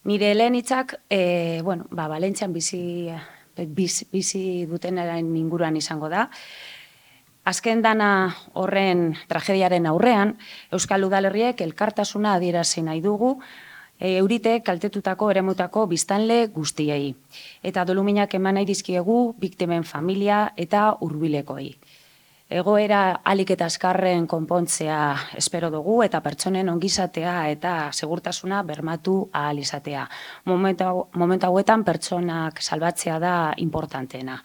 Nire lehen hitzak, Valentzian bizi dutenaren inguruan izango da. Azken dana horren tragediaren aurrean, Euskal Udalerriek elkartasuna adierazi nahi dugu, eurite kaltetutako eremutako biztanle guztiei. Eta doluminak eman nahi dizkiegu biktimen familia eta hurbilekoei. Egoera ahalik eta azkarren konpontzea espero dugu eta pertsonen ongizatea eta segurtasuna bermatu ahal izatea. Momentu hauetan pertsonak salbatzea da importanteena.